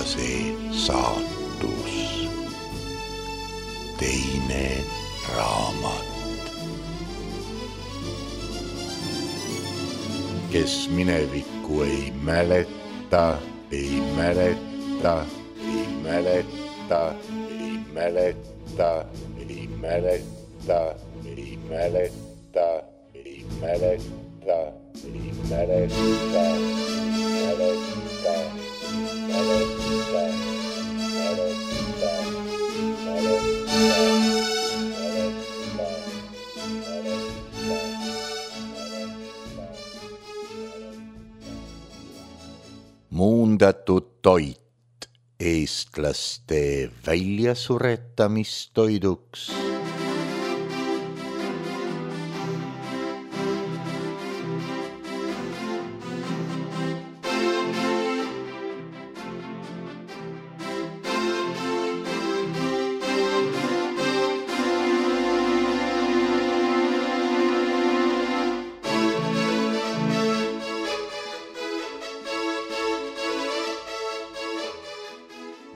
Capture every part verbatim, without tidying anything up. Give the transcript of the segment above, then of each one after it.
see saatus, teine raamat. Kes minevikku ei mäleta, ei mäleta, ei mäleta, ei mäleta, ei mäleta, ei mäleta, ei mäleta, ei mäleta, mäleta, mäleta, mäleta, muundatud toit eestlaste väljasuretamistoiduks.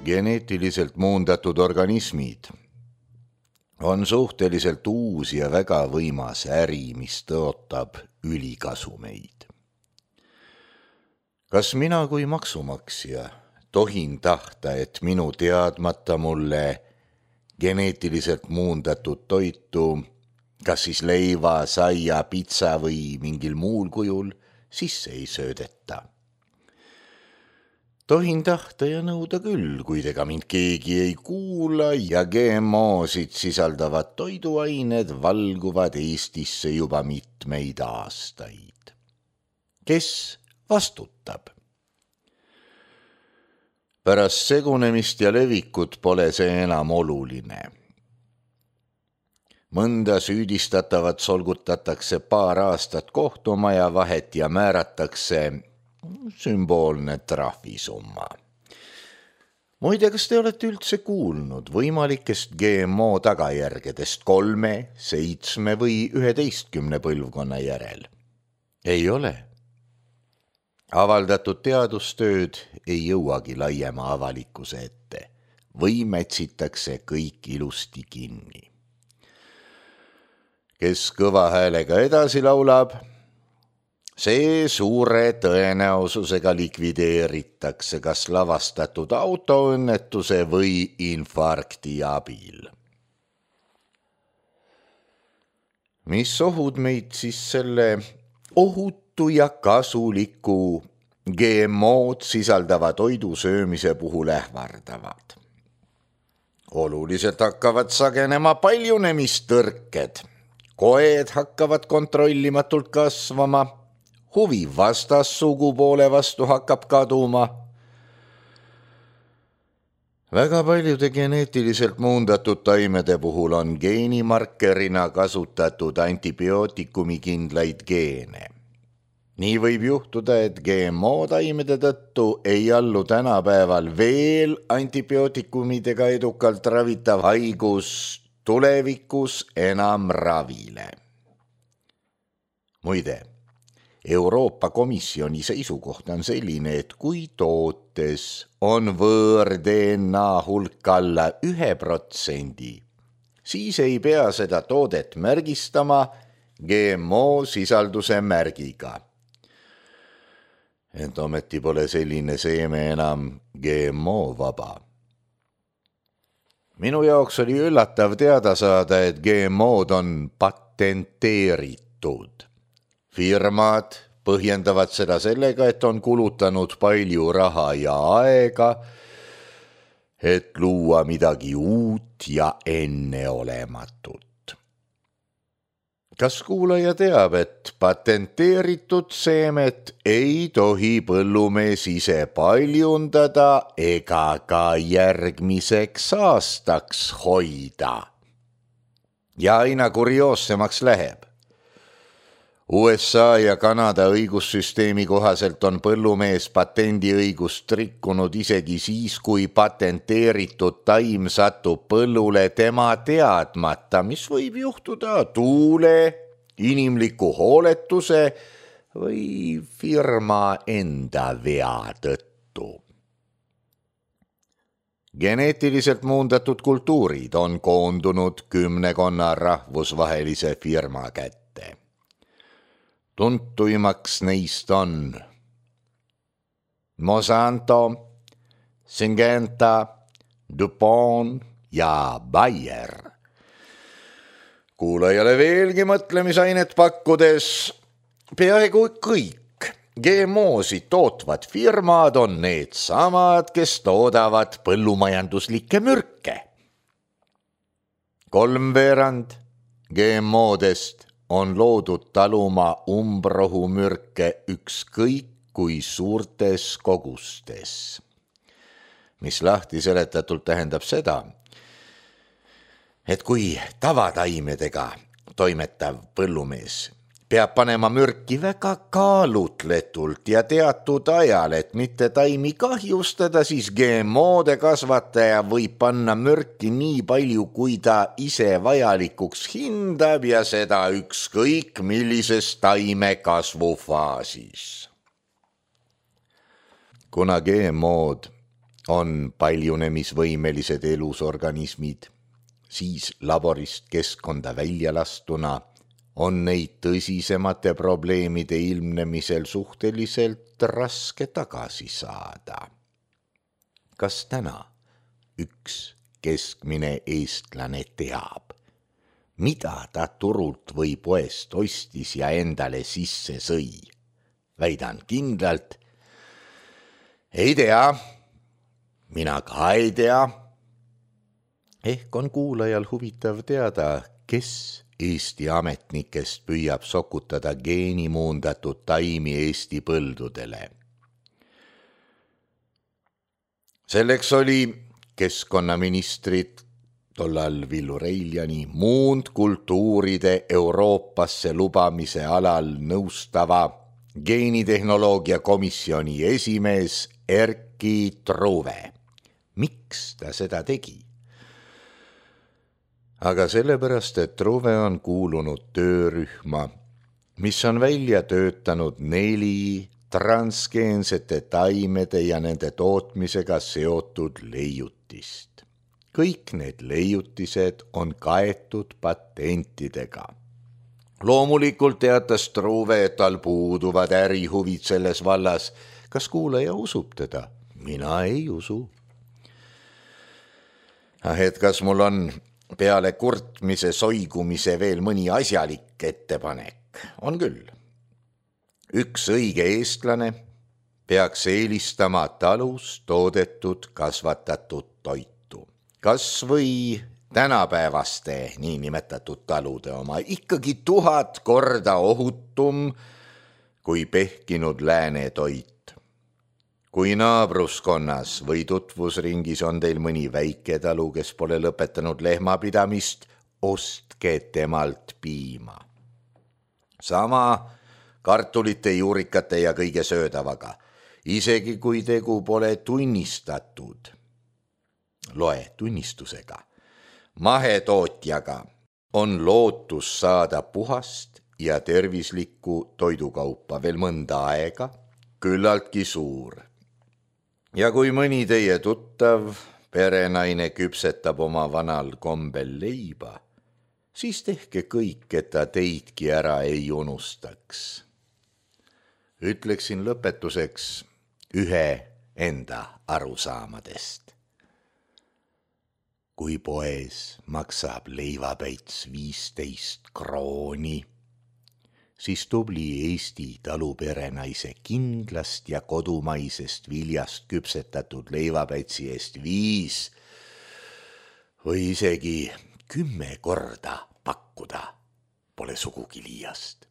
Geneetiliselt muundatud organismid on suhteliselt uus ja väga võimas äri, mis tõotab ülikasumeid. Kas mina kui maksumaksja tohin tahta, et minu teadmata mulle geneetiliselt muundatud toitu, kas siis leiva, saia, pitsa või mingil muul kujul, sisse ei söödeta? Tohin tahta ja nõuda küll, kuid ega mind keegi ei kuula ja G M O-sid sisaldavad toiduained valguvad Eestisse juba mitmeid aastaid. Kes vastutab? Pärast segunemist ja levikut pole see enam oluline. Mõnda süüdistatavat solgutatakse paar aastat kohtumaja vahet ja määratakse sümboolne trahvisumma. Muide, kas te olete üldse kuulnud võimalikest G M O tagajärgedest kolme, seitsme või üheteistkümne põlvkonna järel? Ei ole. Avaldatud teadustööd ei jõuagi laiema avalikkuse ette või mätsitakse kõik ilusti kinni. Kes kõva häälega edasi laulab, see suure tõenäosusega likvideeritakse kas lavastatud autoõnnetuse või infarkti abil. Mis ohud meid siis selle ohutu ja kasuliku G M O-d sisaldava toidu söömise puhul ähvardavad? Oluliselt hakkavad sagenema paljunemistõrked, koed hakkavad kontrollimatult kasvama, huvi vastassugupoole vastu hakkab kaduma. Väga paljude geneetiliselt muundatud taimede puhul on geenimarkerina kasutatud antibiootikumi kindlaid geene. Nii võib juhtuda, et G M O taimede tõttu ei allu tänapäeval veel antibiootikumidega edukalt ravitav haigus tulevikus enam ravile. Muide, Euroopa Komisjoni seisukoht on selline, et kui tootes on võõr D N A hulk alla ühe protsendi, siis ei pea seda toodet märgistama G M O sisalduse märgiga. Ent ometi pole selline seeme enam G M O vaba. Minu jaoks oli üllatav teada saada, et G M O-d on patenteeritud. Firmad põhjendavad seda sellega, et on kulutanud palju raha ja aega, et luua midagi uut ja enneolematut. Kas kuulaja teab, et patenteeritud seemet ei tohi põllumees ise paljundada ega ka järgmiseks aastaks hoida? Ja aina kurioossemaks läheb. U S A ja Kanada õigussüsteemi kohaselt on põllumees patendiõigust rikkunud isegi siis, kui patenteeritud taim satub põllule tema teadmata, mis võib juhtuda tuule, inimliku hooletuse või firma enda vea tõttu. Geneetiliselt muundatud kultuurid on koondunud kümnekonna rahvusvahelise firma kätte. Tuntuimaks neist on Monsanto, Syngenta, DuPont ja Bayer. Kuulajale veelgi mõtlemisainet pakkudes, peaaegu kõik G M O-sid tootvad firmad on need samad, kes toodavad põllumajanduslikke mürke. Kolmveerand G M O-dest on loodud taluma umbrohumürke ükskõik kui suurtes kogustes, mis lahti seletatult tähendab seda, et kui tavataimedega toimetav põllumees peab panema mürki väga kaalutletult ja teatud ajal, et mitte taimi kahjustada, siis G M O-de kasvataja võib panna mürki nii palju, kui ta ise vajalikuks hindab ja seda ükskõik millises taime kasvufaasis. Kuna G M O-d on paljunemisvõimelised elusorganismid, siis laborist keskkonda välja lastuna on neid tõsisemate probleemide ilmnemisel suhteliselt raske tagasi saada. Kas täna üks keskmine eestlane teab, mida ta turult või poest ostis ja endale sisse sõi? Väidan kindlalt, ei tea, mina ka ei tea. Ehk on kuulajal huvitav teada, kes Eesti ametnikest püüab sokutada geenimuundatud taimi Eesti põldudele. Selleks oli keskkonnaministrid tollal Villu Reiljani muundkultuuride Euroopasse lubamise alal nõustava geenitehnoloogia komisjoni esimees Erki Truve. Miks ta seda tegi? Aga sellepärast, et Truve on kuulunud töörühma, mis on välja töötanud neli transgeensete taimede ja nende tootmisega seotud leiutist. Kõik need leiutised on kaetud patentidega. Loomulikult teatas Truve, et tal puuduvad ärihuvid selles vallas. Kas kuulaja usub teda? Mina ei usu. Ah, et kas mul on peale kurtmise soigumise veel mõni asjalik ettepanek? On küll. Üks õige eestlane peaks eelistama talus toodetud kasvatatud toitu. Kas või tänapäevaste niinimetatud talude oma ikkagi tuhat korda ohutum kui pehkinud lääne toit. Kui naabruskonnas või tutvusringis on teil mõni väike talu, kes pole lõpetanud lehmapidamist, ostke temalt piima. Sama kartulite, juurikate ja kõige söödavaga, isegi kui tegu pole tunnistatud. Loe tunnistusega. Mahetootjaga on lootus saada puhast ja tervislikku toidukaupa veel mõnda aega, küllaltki suur. Ja kui mõni teie tuttav perenaine küpsetab oma vanal kombel leiba, siis tehke kõik, et ta teidki ära ei unustaks. Ütleksin lõpetuseks ühe enda arusaamadest. Kui poes maksab leivapäits viisteist krooni, siis tubli Eesti taluperenaise kindlast ja kodumaisest viljast küpsetatud leivapäitsi eest viis või isegi kümme korda pakkuda pole sugugi liiast.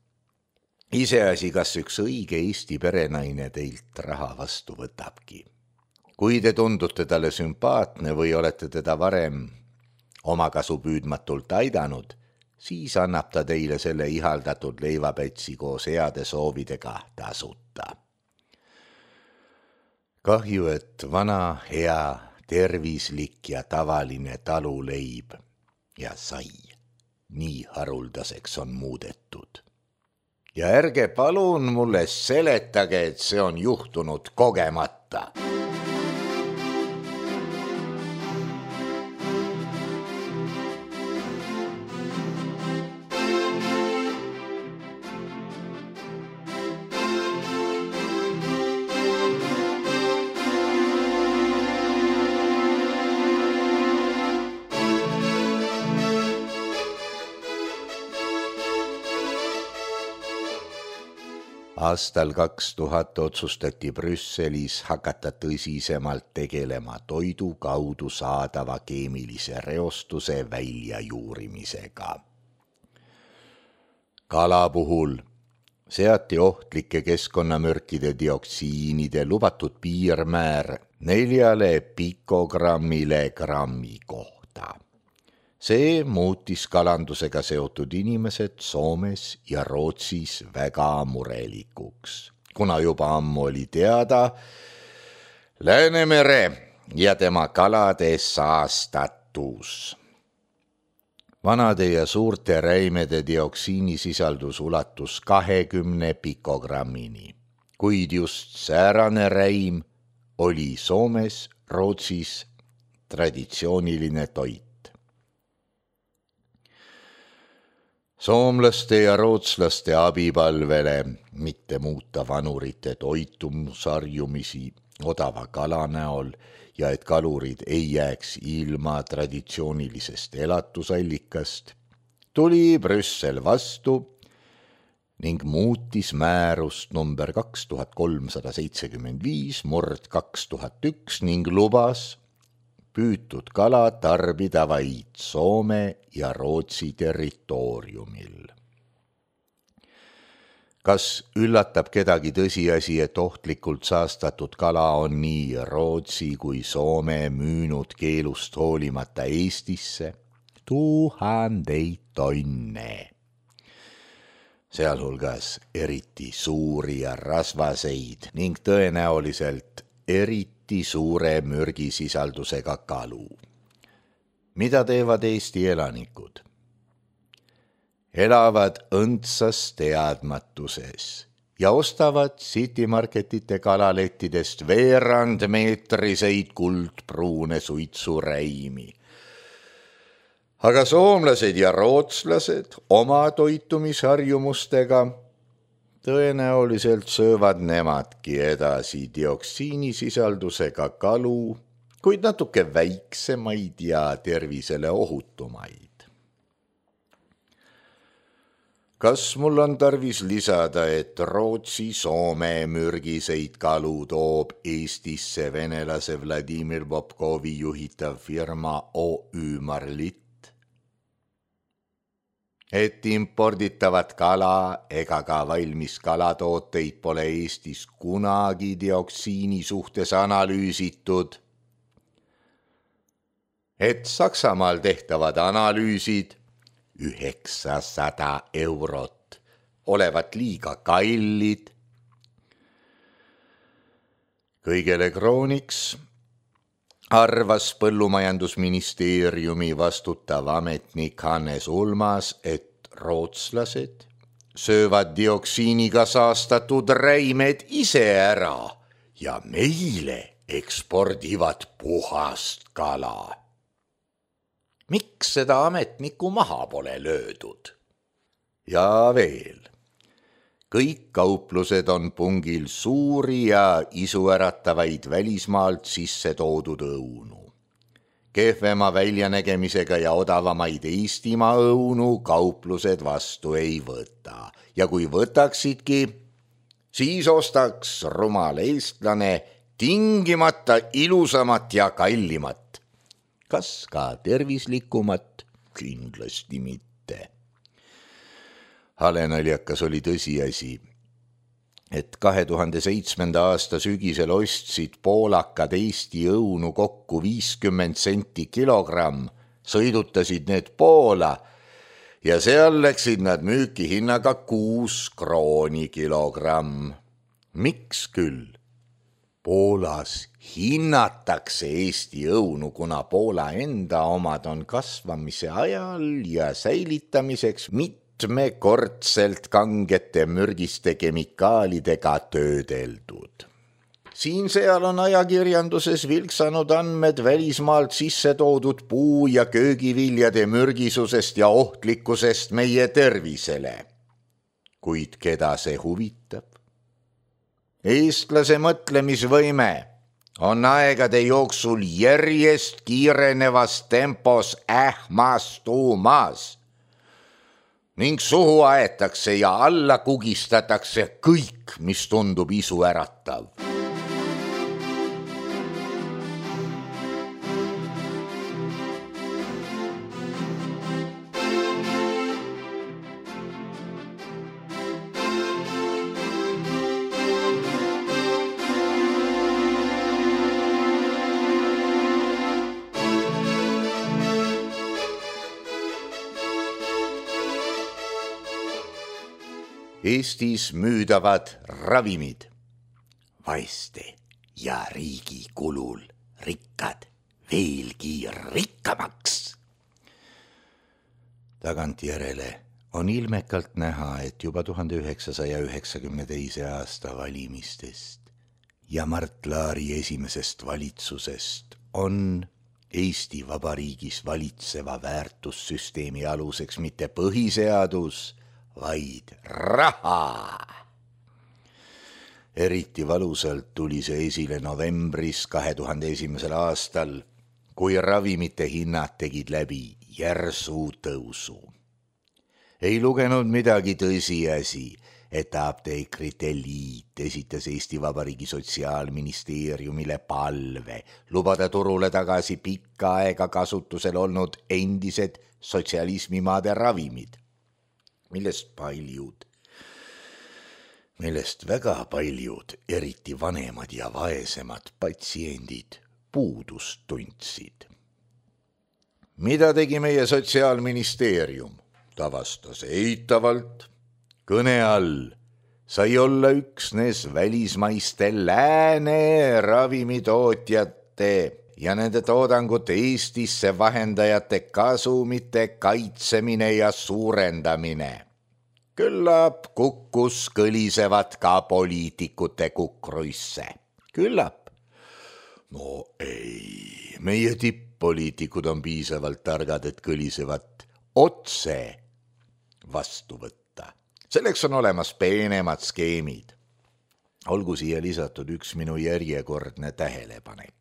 Iseasi, kas üks õige Eesti perenaine teilt raha vastu võtabki. Kui te tundute talle sümpaatne või olete teda varem omakasu püüdmatult aidanud, siis annab ta teile selle ihaldatud leivapätsi koos heade soovidega tasuta. Kahju, et vana, hea, tervislik ja tavaline taluleib ja sai nii haruldaseks on muudetud. Ja ärge palun mulle seletage, et see on juhtunud kogemata. Aastal kaks tuhat otsustati Brüsselis hakata tõsisemalt tegelema toidu kaudu saadava keemilise reostuse väljajuurimisega. Kala puhul seati ohtlike keskkonnamürkide dioksiinide lubatud piirmäär neljale pikogrammile grammi kohta. See muutis kalandusega seotud inimesed Soomes ja Rootsis väga murelikuks, kuna juba ammu oli teada Läänemere ja tema kalade saastatus. Vanade ja suurte räimede dioksiinisisaldus ulatus kahekümne pikogrammini, kuid just säärane räim oli Soomes, Rootsis traditsiooniline toit. Soomlaste ja rootslaste abipalvele mitte muuta vanurite toitumusharjumisi odava kala näol ja et kalurid ei jääks ilma traditsioonilisest elatusallikast, tuli Brüssel vastu ning muutis määrust number kaks tuhat kolmsada seitsekümmend viis murd kaks tuhat üks ning lubas püütud kala tarbida vaid Soome ja Rootsi territooriumil. Kas üllatab kedagi tõsiasi, et ohtlikult saastatud kala on nii Rootsi kui Soome müünud keelust hoolimata Eestisse tuhandeid tonne, sealhulgas eriti suuri ja rasvaseid ning tõenäoliselt eriti suure mürgisisaldusega kalu. Mida teevad Eesti elanikud? Elavad õndsas teadmatuses ja ostavad Citymarketite kalalettidest veerandmeetriseid kuldpruune suitsuräimi. Aga soomlased ja rootslased oma toitumisharjumustega tõenäoliselt söövad nemadki edasi dioksiinisisaldusega kalu, kuid natuke väiksemaid ja tervisele ohutumaid. Kas mul on tarvis lisada, et Rootsi-Soome mürgiseid kalu toob Eestisse venelase Vladimir Popkovi juhitav firma O Ü Marlitt? Et imporditavat kala ega ka valmis kalatooteid pole Eestis kunagi dioksiini suhtes analüüsitud. Et Saksamaal tehtavad analüüsid üheksasada eurot olevat liiga kallid. Kõigele krooniks arvas Põllumajandusministeeriumi vastutav ametnik Hannes Ulmas, et rootslased söövad dioksiiniga saastatud räimed ise ära ja meile ekspordivad puhast kala. Miks seda ametnikku maha pole löödud? Ja veel. Kõik kauplused on pungil suuri ja isuäratavaid välismaalt sisse toodud õunu. Kehvema väljanägemisega ja odavamaid Eestimaa õunu kauplused vastu ei võta. Ja kui võtaksidki, siis ostaks rumal eestlane tingimata ilusamat ja kallimat. Kas ka tervislikumat? Kindlasti mitte. Halenaljakas oli tõsiasi, et kahe tuhande seitsmenda aasta sügisel ostsid poolakad Eesti õunu kokku viiskümmend senti kilogramm, sõidutasid need Poola ja seal läksid nad müüki hinnaga kuus krooni kilogramm. Miks küll? Poolas hinnatakse Eesti õunu, kuna Poola enda omad on kasvamise ajal ja säilitamiseks mitte mitmekordselt kangete mürgiste kemikaalidega töödeldud. Siin-seal on ajakirjanduses vilksanud andmed välismaalt sisse toodud puu- ja köögiviljade mürgisusest ja ohtlikkusest meie tervisele. Kuid keda see huvitab? Eestlase mõtlemisvõime on aegade jooksul järjest kiirenevas tempos ähmastumas. ning suhu aetakse ja alla kugistatakse kõik, mis tundub isu äratav. Eestis müüdavad ravimid, vaeste ja riigi kulul rikkad veelgi rikkamaks. Tagantjärele on ilmekalt näha, et juba tuhande üheksasaja üheksakümne teise aasta valimistest ja Mart Laari esimesest valitsusest on Eesti Vabariigis valitseva väärtussüsteemi aluseks mitte põhiseadus, vaid raha. Eriti valusalt tuli see esile novembris kahe tuhande esimesel aastal, kui ravimite hinnad tegid läbi järsu tõusu. Ei lugenud midagi tõsiasi, et Apteekrite Liit esitas Eesti Vabariigi Sotsiaalministeeriumile palve lubada turule tagasi pikka aega kasutusel olnud endised sotsialismimaade ravimid, millest paljud, millest väga paljud, eriti vanemad ja vaesemad patsiendid puudust tundsid. Mida tegi meie Sotsiaalministeerium? Ta vastas eitavalt. Kõne all sai olla üksnes välismaiste lääne ravimitootjate ja nende toodangut Eestisse vahendajate kasumite kaitsemine ja suurendamine. Küllap kukkus kõlisevad ka poliitikute kukruisse. Küllap. No ei, meie tipp-poliitikud on piisavalt targad, et kõlisevat otse vastu võtta. Selleks on olemas peenemad skeemid. Olgu siia lisatud üks minu järjekordne tähelepanek.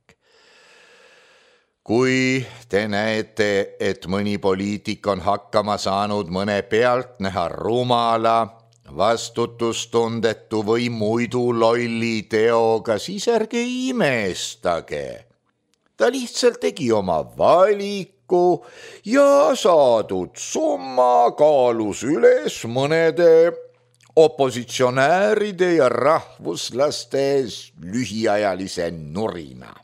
Kui te näete, et mõni poliitik on hakkama saanud mõne pealtnäha rumala, vastutustundetu või muidu lolli teoga, siis ärge imestage. Ta lihtsalt tegi oma valiku ja saadud summa kaalus üles mõnede opositsionääride ja rahvuslaste lühiajalise nurina.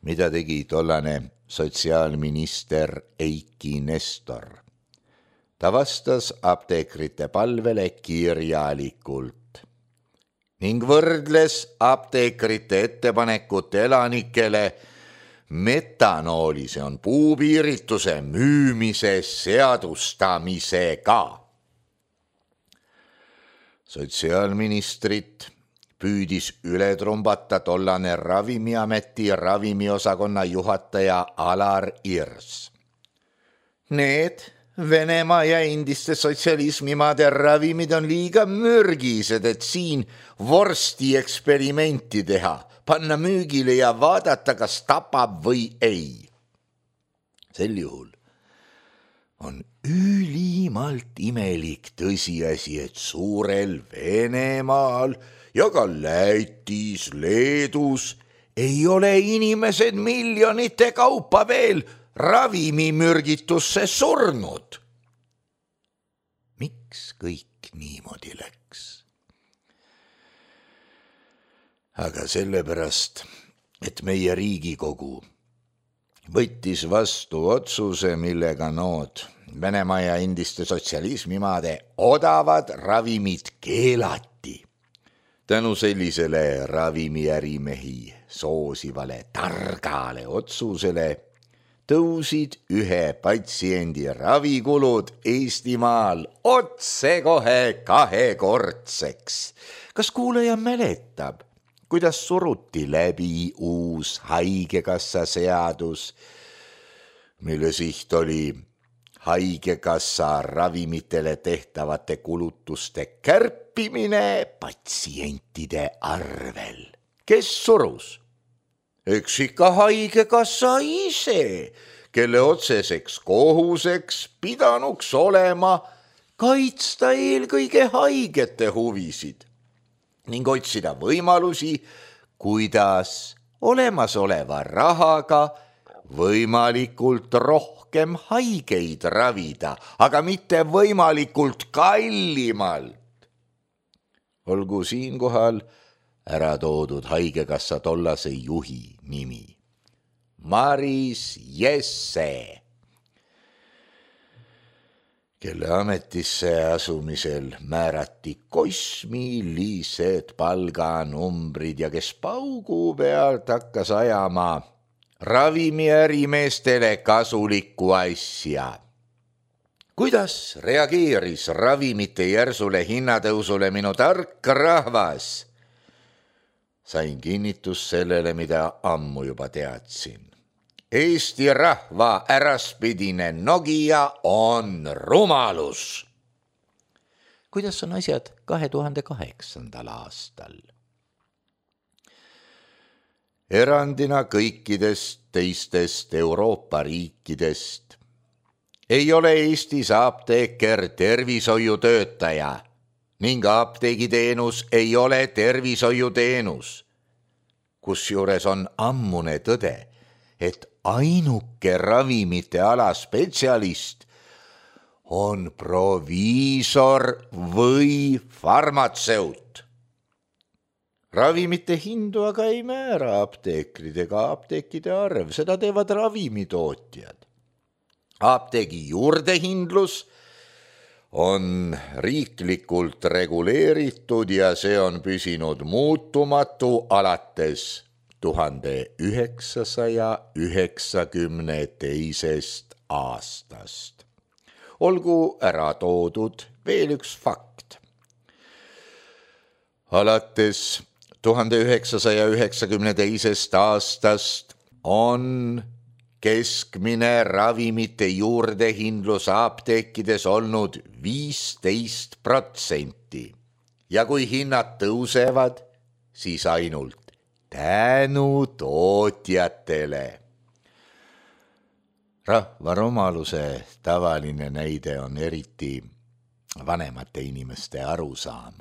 Mida tegi tollane sotsiaalminister Eiki Nestor? Ta vastas apteekrite palvele kirjalikult ning võrdles apteekrite ettepanekut elanikele metanooli, see on puupiirituse müümise seadustamisega. Sotsiaalministrit püüdis üle trumbata tollane Ravimiameti ravimiosakonna juhataja Alar Irs. Need Venemaa ja endiste sotsialismimaade ravimid on liiga mürgised, et siin vorsti eksperimenti teha, panna müügile ja vaadata, kas tapab või ei. Sel juhul on ülimalt imelik tõsiasi, et suurel Venemaal ja ka Lätis, Leedus ei ole inimesed miljonite kaupa veel ravimimürgitusse surnud. Miks kõik niimoodi läks? Aga sellepärast, et meie Riigikogu võttis vastu otsuse, millega nood Venemaa ja endiste sotsialismimaade odavad ravimid keelati. Tänu sellisele ravimiärimehi soosivale targale otsusele tõusid ühe patsiendi ravikulud Eestimaal otsekohe kahekordseks. Kas kuulaja mäletab, kuidas suruti läbi uus haigekassa seadus, mille siht oli haigekassa ravimitele tehtavate kulutuste kärpimine patsientide arvel? Kes surus? Eks ikka haigekassa ise, kelle otseseks kohuseks pidanuks olema kaitsta eelkõige haigete huvisid ning otsida võimalusi, kuidas olemasoleva rahaga võimalikult rohkem haigeid ravida, aga mitte võimalikult kallimalt. Olgu siinkohal ära toodud haigekassa tollase juhi nimi. Maris Jesse, kelle ametisse asumisel määrati kosmilised palganumbrid ja kes paugu pealt hakkas ajama ravimiärimeestele kasulikku asja. Kuidas reageeris ravimite järsule hinnatõusule minu tark rahvas? Sain kinnitus sellele, mida ammu juba teadsin. Eesti rahva äraspidine Nokia on rumalus. Kuidas on asjad kahe tuhande kaheksandal aastal? Erandina kõikidest teistest Euroopa riikidest ei ole Eestis apteeker tervishoiutöötaja ning apteegiteenus ei ole tervishoiuteenus, kusjuures on ammune tõde, et ainuke ravimite ala spetsialist on proviisor või farmatseut. Ravimite hindu aga ei määra apteekrid ega apteekide arv, seda teevad ravimitootjad. Apteegi juurdehindlus on riiklikult reguleeritud ja see on püsinud muutumatu alates tuhande üheksasaja üheksakümne teisest aastast. Olgu ära toodud veel üks fakt. Alates tuhande üheksasaja üheksakümne teisest aastast on keskmine ravimite juurdehindlus apteekides olnud viisteist protsenti ja kui hinnad tõusevad, siis ainult tänu tootjatele. Rahvarumaluse tavaline näide on eriti vanemate inimeste arusaam.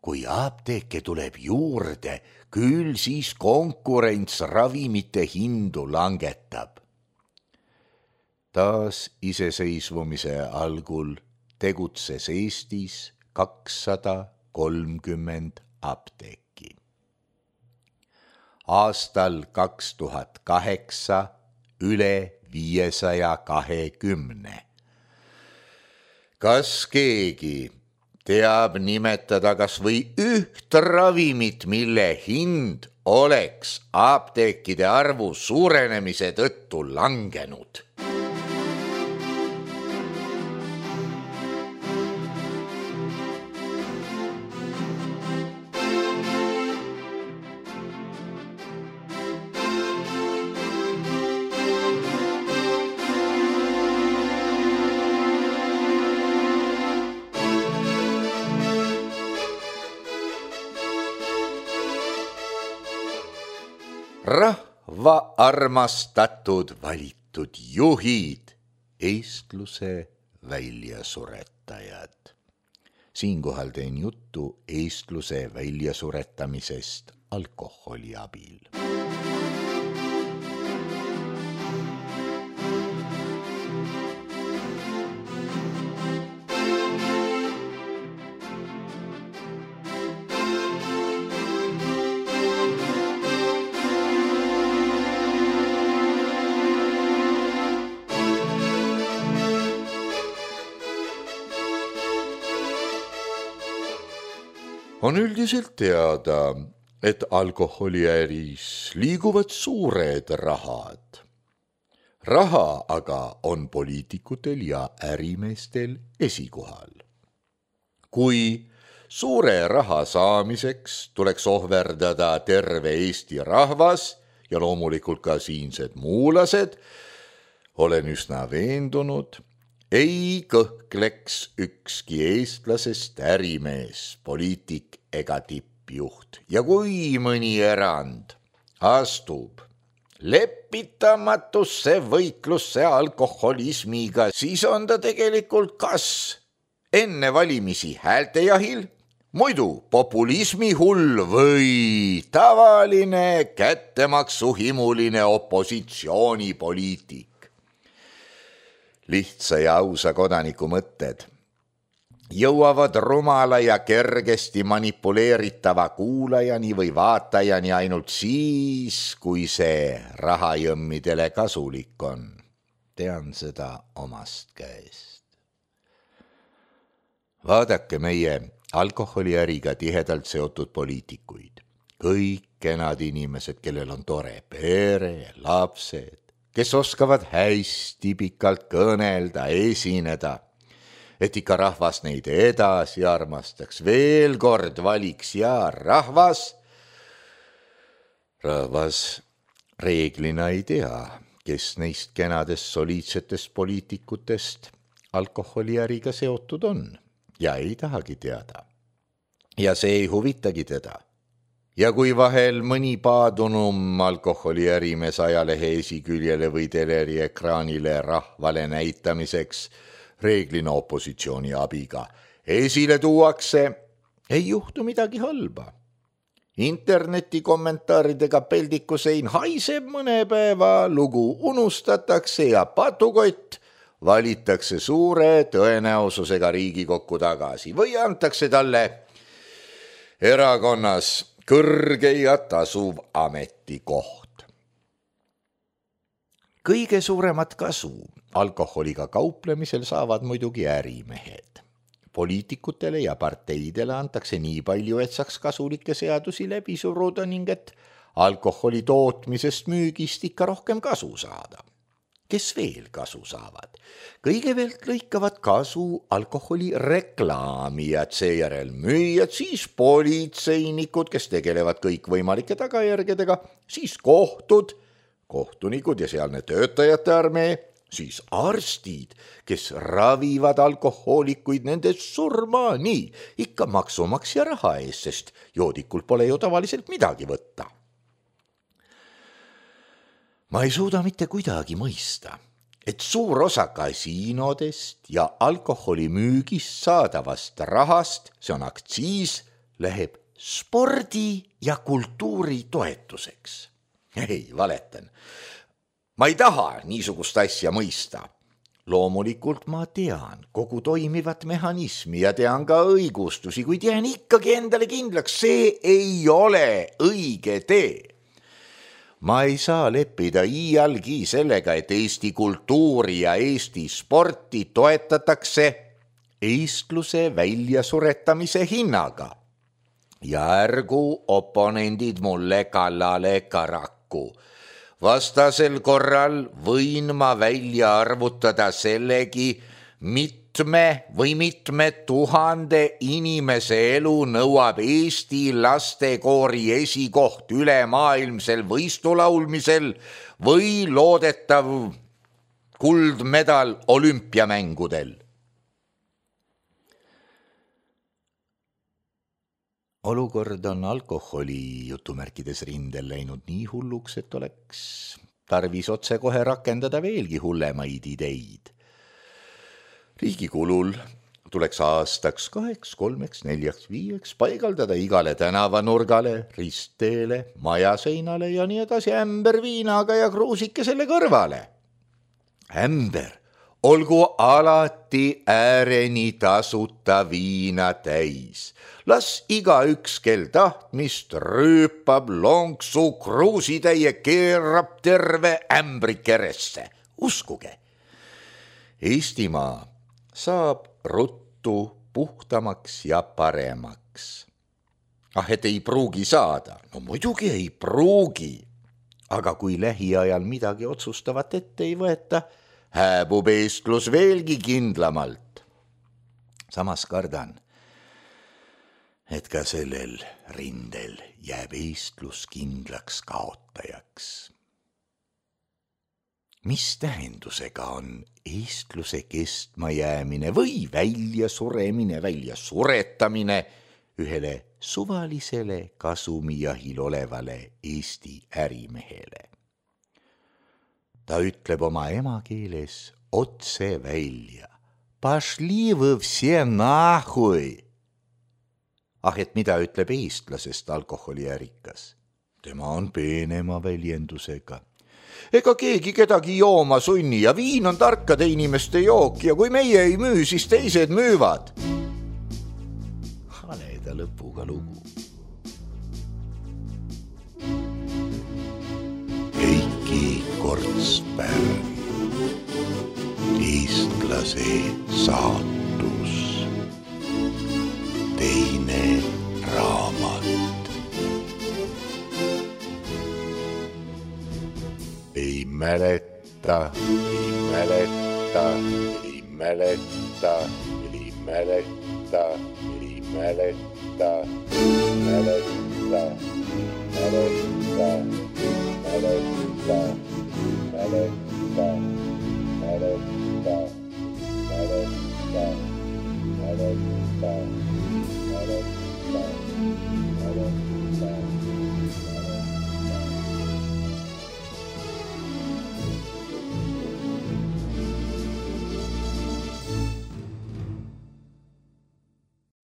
Kui apteeke tuleb juurde, küll siis konkurents ravimite hindu langetab. Taas iseseisvumise algul tegutses Eestis kakssada kolmkümmend apteeki. Aastal kaks tuhat kaheksa üle viiesaja kahekümne. Kas keegi teab nimetada kas või üht ravimit, mille hind oleks apteekide arvu suurenemise tõttu langenud? Rahva armastatud valitud juhid, eestluse väljasuretajad. Siinkohal teen juttu eestluse väljasuretamisest alkoholi abil. On üldiselt teada, et alkoholiäris liiguvad suured rahad. Raha aga on poliitikutel ja ärimeestel esikohal. Kui suure raha saamiseks tuleks ohverdada terve Eesti rahvas ja loomulikult ka siinsed muulased, olen üsna veendunud, ei kõhkleks ükski eestlasest ärimees, poliitik ega tippjuht. Ja kui mõni erand astub lepitamatusse võitlusse alkoholismiga, siis on ta tegelikult kas enne valimisi häältejahil, muidu populismi hull või tavaline kättemaksuhimuline opositsioonipoliitik. Lihtsa ja ausa kodaniku mõtted jõuavad rumala ja kergesti manipuleeritava kuulajani või vaatajani ainult siis, kui see rahajõmmidele kasulik on. Tean seda omast käest. Vaadake meie alkoholiäriga tihedalt seotud poliitikuid. Kõik kenad inimesed, kellel on tore pere, lapsed, kes oskavad hästi pikalt kõnelda, esineda, et ikka rahvas neid edasi armastaks, veel kord valiks ja rahvas, rahvas reeglina ei tea, kes neist kenadest soliidsetest poliitikutest alkoholiäriga seotud on ja ei tahagi teada. Ja see ei huvitagi teda. Ja kui vahel mõni paadunum alkoholiärimees ajalehe esiküljele või teleri ekraanile rahvale näitamiseks reeglina opositsiooni abiga esile tuuakse, ei juhtu midagi halba. Interneti kommentaaridega peldikusein haiseb mõne päeva, lugu unustatakse ja patukott valitakse suure tõenäosusega Riigikokku tagasi või antakse talle erakonnas kõrge ja tasuv ametikoht. Kõige suuremat kasu alkoholiga kauplemisel saavad muidugi ärimehed. Poliitikutele ja parteidele antakse nii palju, et saaks kasulikke seadusi läbi suruda ning et alkoholi tootmisest müügist ikka rohkem kasu saada. Kes veel kasu saavad? Kõigepealt lõikavad kasu alkoholi reklaamijad, seejärel müüjad, siis politseinikud, kes tegelevad kõikvõimalike tagajärgedega, siis kohtud, kohtunikud ja sealne töötajate armee, siis arstid, kes ravivad alkohoolikuid nende surmani, ikka maksumaksja raha ees, sest joodikul pole ju tavaliselt midagi võtta. Ma ei suuda mitte kuidagi mõista, et suur osa kasiinodest ja alkoholi müügist saadavast rahast, see on aktsiis, läheb spordi ja kultuuri toetuseks. Ei, valetan. Ma ei taha niisugust asja mõista. Loomulikult ma tean kogu toimivat mehhanismi ja tean ka õigustusi, kuid jään ikkagi endale kindlaks, see ei ole õige tee. Ma ei saa leppida iialgi sellega, et Eesti kultuuri ja Eesti sporti toetatakse eestluse väljasuretamise hinnaga. Ja ärgu oponendid mulle kallale karaku. Vastasel korral võin ma välja arvutada sellegi mitme või mitme tuhande inimese elu nõuab Eesti lastekoori esikoht ülemaailmsel võistulaulmisel või loodetav kuldmedal olümpiamängudel. Olukord on alkoholi jutumärkides rindel läinud nii hulluks, et oleks tarvis otse kohe rakendada veelgi hullemaid ideid. Riigi kulul tuleks aastaks kaheks, kolmeks, neljaks, viieks paigaldada igale tänavanurgale, ristteele, majaseinale ja nii edasi ämber viinaga ja kruusike selle kõrvale. Ämber olgu alati ääreni tasuta viina täis. Las igaüks, kel tahtmist rüüpab lonksu kruusitäie, keerab terve ämbri keresse. Uskuge, Eestimaa saab ruttu puhtamaks ja paremaks. Ah, et ei pruugi saada. No muidugi ei pruugi. Aga kui lähiajal midagi otsustavat ette ei võeta, hääbub eestlus veelgi kindlamalt. Samas kardan, et ka sellel rindel jääb eestlus kindlaks kaotajaks. Mis tähendusega on eestluse kestma jäämine või välja suremine, välja suretamine ühele suvalisele kasumijahil olevale Eesti ärimehele? Ta ütleb oma emakeeles otse välja. Пошли вы все нахуй! Ah, et mida ütleb eestlasest alkoholiärikas? Tema on peenema väljendusega. Ega keegi kedagi jooma sunni ja viin on tarkade inimeste jook ja kui meie ei müü, siis teised müüvad. Haleda lõpuga lugu. Heiki Kortspärn, eestlase saatus, teine raamat. Ei mäleta, ei mäleta, ei mäleta, ei mäleta, ei mäleta, ei mäleta, ei mäleta.